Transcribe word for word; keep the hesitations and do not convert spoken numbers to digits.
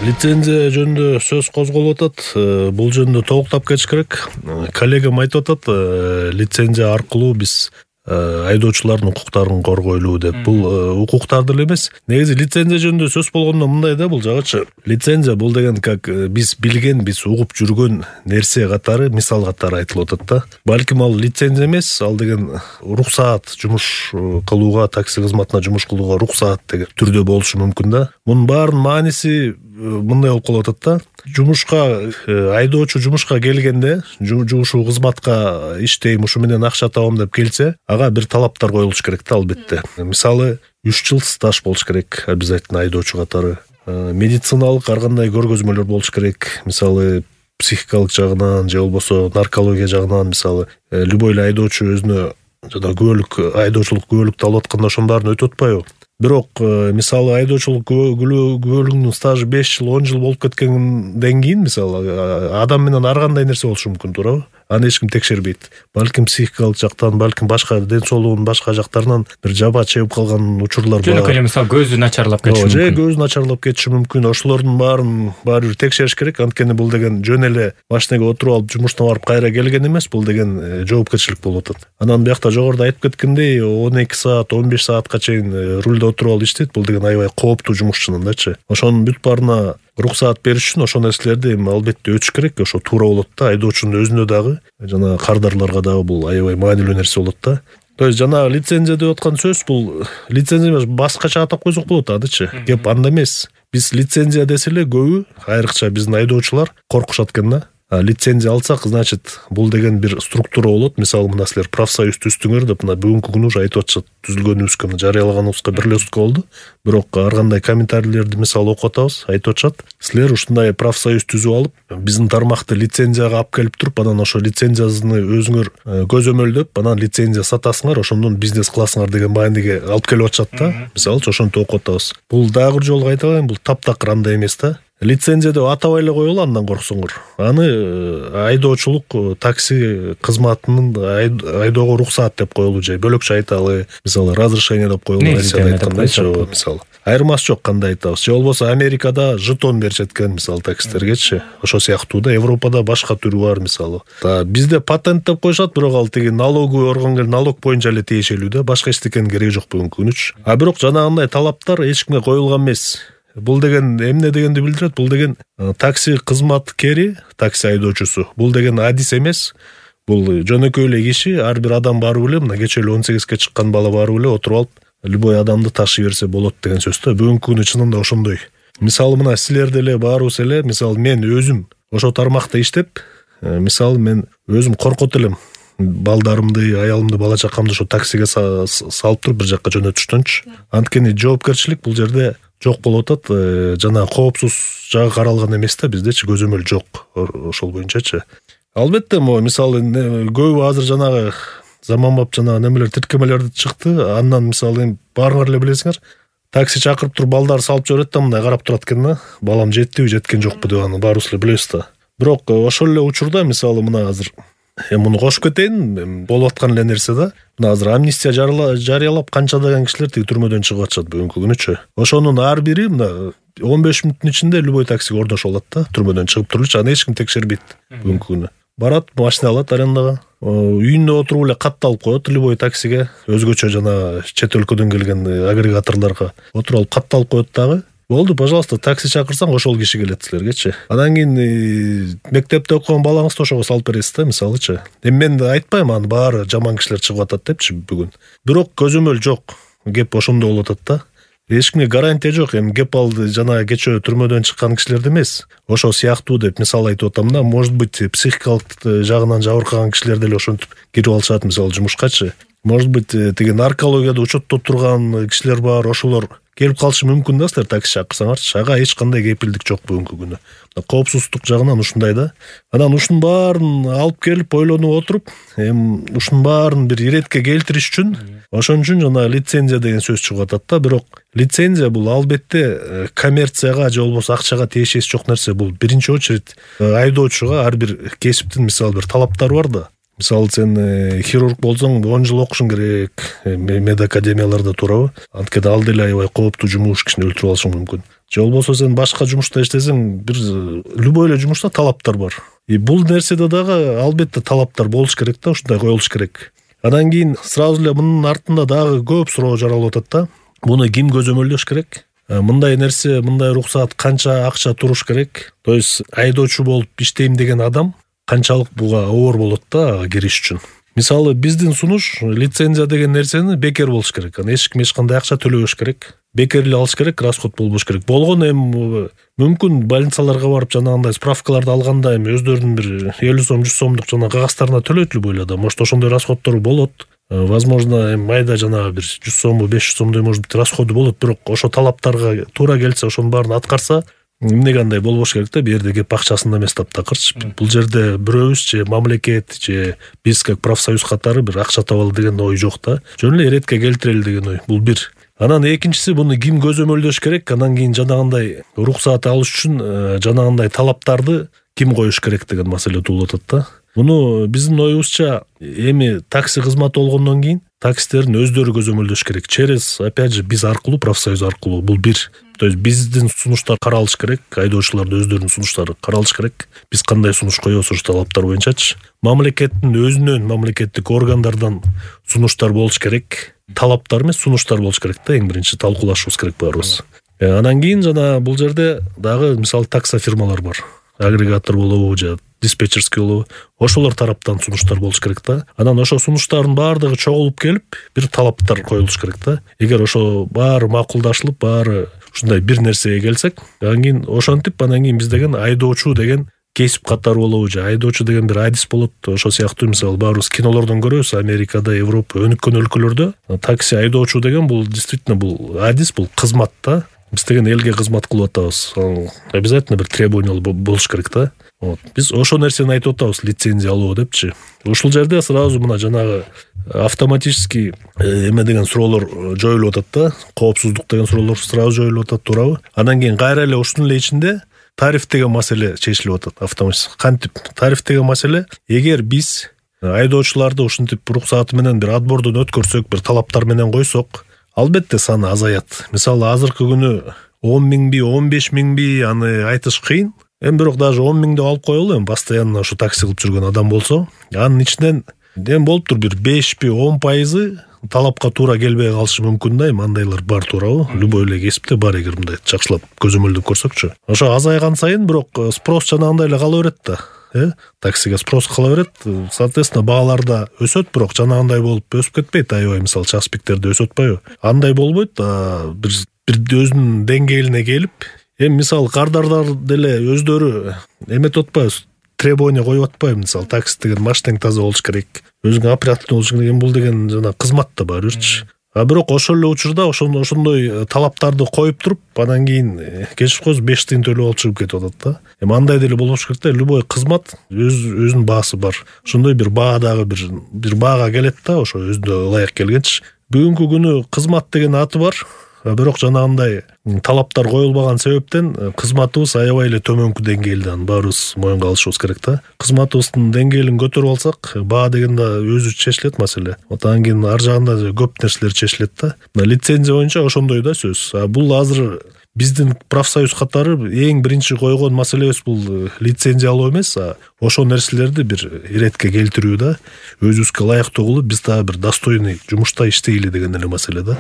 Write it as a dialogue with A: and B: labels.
A: Лицензия жөнүндө сөз козголуп атат. Бул жөнүндө толуктап кетиш керек. Коллегам айтып атат, лицензия аркылуу биз айдоочулардын укуктарын коргойлуу деп. Бул укуктар деле эмес. Негизи лицензия жөнүндө сөз болгондо мындай да, бул жагычы. Лицензия бул деген как биз билген, биз угуп жүргөн нерсе катары, мисал катары айтылып атат да. Балким ал лицензия эмес, ал деген руксаат, жумуш кылууга, такси кызматына жумуш кылууга руксаат деген түрдө болушу мүмкүн да. Мунун баарынын мааниси мындай болуп калып атат да. Жумушка айдоочу жумушка келгенде, ушул кызматка иштейм, ушу менен акча табам деп келсе, ага бир талаптар коюлуш керек да, албетте. Мисалы, үч жыл стаж болуш керек обязательно айдоочу катары. Медициналык ар кандай көргөзмөлөр болуш керек. Мисалы, психикалык жагынан же болбосо наркология жагынан, мисалы, любой эле айдоочу өзүнө жана күбөлүк, айдоочулук күбөлүктү алып атканда ошонун баарын өтүп атпайбы? Бирок, мисалы, айдоочулук күбөлүгүнүн стажы беш жыл, он жыл болуп кеткенден кийин, мисалы, адам менен ар кандай нерсе болушу мүмкүн, туурабы? Аны эч ким текшербейт. Балким психикалык жактан, балким башка ден соолугунун башка жактарынан бир жаба чегип калган учурлар бар.
B: Жөнөкөй эле мисалы көзү начарлап кетиши мүмкүн.
A: Же көзү начарлап кетиши мүмкүн. Ошолордун баарын баары бир текшериш керек. Анткени бул деген жөн эле машинеге отуруп алып жумуштан барып кайра келген эмес, бул деген жоопкерчилик болуп атат. Анан биякта жогоруда айтып кеткендей, он эки саат, он беш саатка чейин рулде отуруп алып иштейт. Бул деген аябай кооптуу жумушчунундачы. Ошонун бүт баарына руксаат бериш үчүн ошол нерселерди эми албетте өтүш керек. Ошо туура болот да, айдоочунун өзүнө дагы, жана кардарларга дагы бул аябай маанилүү нерсе болот да. То есть жана лицензия деп аткан сөз, бул лицензия эмес, башкача атап койсок болот адычы. Кеп анда эмес. Биз лицензия десе эле көбү, айрыкча биздин айдоочулар коркушат экен да. А лицензия алсак, значит, бул деген бир структура болот. Мисалы, мына силер профсоюз түздүңөр деп мына бүгүнкү күнү уже айтып атышат. Түзүлгөнүбүзгө, жарыялаганыбызга бир эле сутка болду. Бирок ар кандай комментарийлерди мисалы окуп атабыз, айтып атышат. Силер ушундай профсоюз түзүп алып, биздин тармакты лицензияга алып келип туруп, анан ошо лицензияны өзүңөр көзөмөлдөп, анан лицензия сатасыңар, ошондон бизнес кыласыңар деген мааниге алып келип атышат да. Мисалы, ошентип окуп атабыз. Бул дагы бир жолу айтабайм, бул таптакыр андай эмес да. Лицензия деп атабай эле коелу, андан корксоңор. Аны айдоочулук, такси кызматынын айдоого руксаат деп коелу, же бөлөкчө айталы, мисалы, разрешение деп коелу, Россияда айткандайчы, мисалы. Айырмасы жок, кандай айтабыз. Же болбосо Америкада жетон беришет экен, мисалы, таксистергечи. Ошо сыяктуу да. Европада башка түрү бар, мисалы. Та бизде патент деп коюшат, бирок ал тиги налоговый органга налог боюнча эле тиешелүү да. Башка эчтекенин кереги жок бүгүнкү күнүчү. А бирок жанагындай талаптар эч кимге коюлган эмес. Бул деген эмне дегенди билдирет? Бул деген такси кызматкери, такси айдоочусу. Бул деген адис эмес. Бул жөнөкөй эле киши, ар бир адам барып эле, мына кечээ эле он сегизге чыккан бала барып эле отуруп алып, любой адамды ташый берсе болот деген сөз да. Бүгүнкү күнү чынында ошондой. Мисалы, мына силер деле баарыбыз эле, мисалы, мен өзүм ошо тармакта иштеп, мисалы, мен өзүм коркот элем. Балдарымды, аялымды, бала чакамды ошо таксиге салып туруп бир жакка жөнөтүштөнчү. Анткени жоопкерчилик бул жерде жок болуп атат. Жана коопсуз жагы каралган эмес да, биздечи көзөмөл жок ошол боюнчачы. Албетте, могу мисалы көбү азыр жанагы заманбап жанагы немелер, тиркемелер чыкты. Андан мисалы баарыңар эле билесиңер, такси чакырып туруп балдарды салып жиберет да, мындай карап турат экен да. Балам жеттиби, жеткен жокпу деп аны баарыбыз эле билебиз да. Бирок ошол эле учурда мисалы мына азыр эми муну кошуп кетейин, болуп аткан эле нерсе да. Мына азыр амнистия жарыялап канчадаган кишилер тиги түрмөдөн чыгып атышат бүгүнкү күнүчү. Ошонун ар бири мына он беш мүнөттүн ичинде любой таксиге ордошуп алат да, түрмөдөн чыгып турулучу, аны эч ким текшербейт бүгүнкү күнү. Барат, машина алат арендага, үйүндө отуруп эле катталып коет любой таксиге, өзгөчө жана чет өлкөдөн келген агрегаторлорго отуруп алып катталып коет дагы. Болду, пожалуйста, такси чакырсаң ошол киши келет силергечи. Анан кийин мектепте окуган балаңызды ошого салып бересиз да, мисалычы. Эми мен айтпайм аны баары жаман кишилер чыгып атат депчи бүгүн. Бирок көзөмөл жок. Кеп ошондо болуп атат да. Эч кимге гарантия жок. Эми кеп алды жана кечөө түрмөдөн чыккан кишилерди эмес. Ошо сыяктуу деп мисал айтып атам да. Может быть, психикалык жагынан жабыркаган кишилер деле ошентип кирип алышат, мисалы, жумушкачы. Может быть, тиги наркологияда учетто турган кишилер бар, ошолор келип калышы мүмкүн да, силер такси чакырсаңарчы. Ага эч кандай кепилдик жок бүгүнкү күнү. Коопсуздук жагынан ушундай да. Анан ушунун баарын алып келип ойлонуп отуруп, эми ушунун баарын бир иретке келтириш үчүн, ошон үчүн жана лицензия деген сөз чыгып атат да. Бирок лицензия бул албетте коммерцияга же болбосо акчага тиешеси жок нерсе. Бул биринчи очередь айдоочуга ар бир кесиптин мисалы бир талаптары бар да. Мисалы, сен хирург болсоң он жыл окушуң керек, медакадемияларда турабы? Анткени ал деле аябай кооптуу жумуш, кишини өлтүрүп алышы мүмкүн. же болбосо сен башка жумушта иштесең, бир любой эле жумушта талаптар бар. И бул нерседе дагы албетте талаптар болуш керек да, ушундай коюлуш керек. Анан кийин сразу эле мунун артында дагы көп суроо жаралып атат да. Буну ким көзөмөлдөш керек? Мындай нерсе, мындай руксаат канча акча туруш керек? То есть айдоочу болуп иштейм деген адам канчалык буга оор болот да кириш үчүн. Мисалы, биздин сунуш лицензия деген нерсени бекер болуш керек. Аны эч ким эч кандай акча төлөбөш керек. Бекер эле алыш керек, расход болбош керек. Болгону эми мүмкүн больницаларга барып жанагындай справкаларды алганда эми өздөрүнүн бир элүү сом жүз сомдук жана кагаздарына төлөйт любой эле адам. Может, ошондой расходдору болот. Возможно, эми майда жанагы бир жүз сомбу, беш жүз сомдой может быть расходу болот, бирок ошо талаптарга туура келсе, ошонун баарын аткарса, эмнеге андай болбош керек да, бу жерде кеп акчасында эмес таптакырчы. Бул жерде бирөөбүз же мамлекет же биз как профсоюз катары бир акча табалы деген ой жок да. Жөн эле иретке келтирели деген ой. Бул бир. Анан экинчиси, буну ким көзөмөлдөш керек? Анан кийин жанагындай руксаат алыш үчүн жанагындай талаптарды ким коюш керек деген маселе туулуп атат да. Муну биздин оюбузча эми такси кызматы болгондон кийин таксистердин өздөрү көзөмөлдөш керек. Через, опять же, биз аркылуу, профсоюз аркылуу. Бул бир. То есть биздин сунуштар каралыш керек, айдоочулардын өздөрүнүн сунуштары каралыш керек. Биз кандай сунуш коебуз ушу талаптар боюнчачы. Мамлекеттин өзүнөн, мамлекеттик органдардан сунуштар болуш керек. Талаптар эмес, сунуштар болуш керек да, эң биринчи талкуулашыбыз керек баарыбыз. Анан кийин жана бул жерде дагы мисалы такса фирмалар бар. Агрегатор болобу же диспетчерский болобу. Ошолор тараптан сунуштар болуш керек да. Анан ошо сунуштардын баардыгы чогулуп келип, бир талаптар коюлуш керек да. Эгер ошо баары макулдашылып, баары ушундай бир нерсеге келсек, анан кийин ошентип, анан кийин биз деген айдоочу деген кесип катары болобу же айдоочу деген бир адис болот. Ошо сыяктуу мисалы баарыбыз кинолордон көрөбүз, Америкада, Европа, өнүккөн өлкөлөрдө такси айдоочу деген бул действительно бул адис, бул кызмат да. Биз деген элге кызмат кылып атабыз. Обязательно бир требование болуш керек да. Вот. Биз ошо нерсени айтып атабыз, лицензия алуу депчи. Ушул жерде сразу мына жанагы автоматически эме деген суроолор жоюлуп атат да. Коопсуздук деген суроолор сразу жоюлуп атат, туурабы? Анан кийин кайра эле ушунун эле ичинде тариф деген маселе чечилип атат автоматически. Кантип тариф деген маселе, эгер биз айдоочуларды ушинтип руксааты менен бир отбордон өткөрсөк, бир талаптар менен койсок, албетте саны азаят. Мисалы, азыркы күнү он миңби, он беш миңби аны айтыш кыйын. Эми бирок даже он миң деп алып коелу, эми постоянно ушу такси кылып жүргөн адам болсо, анын ичинен эми болуптур бир бешпи, он пайызы талапка туура келбей калышы мүмкүн да. Эми андайлар бар, туурабы? Любой эле кесипте бар, эгер мындай жакшылап көзөмөлдөп көрсөкчү. Ошо азайган сайын бирок спрос жанагындай эле кала берет да. Э, таксиге спрос кала берет. Соответственно, баалар да өсөт, бирок жанагындай болуп өсүп кетпейт. Аябай мисалы часпиктерде өсөт атпайбы? Андай болбойт. Бир бир өзүнүн деңгээлине келип, эми мисалы кардардар деле өздөрү эметип атпайбы? Требование коюп атпайбы? Мисалы, такси деген машинең таза болуш керек, өзүңө оперативный болуш керек. Эми бул деген жана кызмат да бар бирчи. А бирок ошол эле учурда ошондой талаптарды коюп туруп, анан кийин кечип коесуз беш тыйын төлөп алып чыгып кетип атат да. Эми андай деле болбош керек да. Любой кызмат өз өзүнүн баасы бар. Ошондой бир баа дагы бир бир баага келет да, ошо өзүнө ылайык келгенчи. Бүгүнкү күнү кызмат деген аты бар. Бирок жанагындай талаптар коюлбаган себептен кызматыбыз аябай эле төмөнкү деңгээлде, аны баарыбыз моюнга алышыбыз керек да. Кызматыбыздын деңгээлин көтөрүп алсак, баа деген да өзү чечилет маселе. Вот анан кийин ар жагында көп нерселер чечилет да. Лицензия боюнча ошондой да сөз. А бул азыр биздин профсоюз катары эң биринчи койгон маселебиз бул лицензия алуу эмес, а ошол нерселерди бир иретке келтирүү да. Өзүбүзгө ылайыктуу кылып, биз дагы бир достойный жумушта иштейли деген эле маселе да.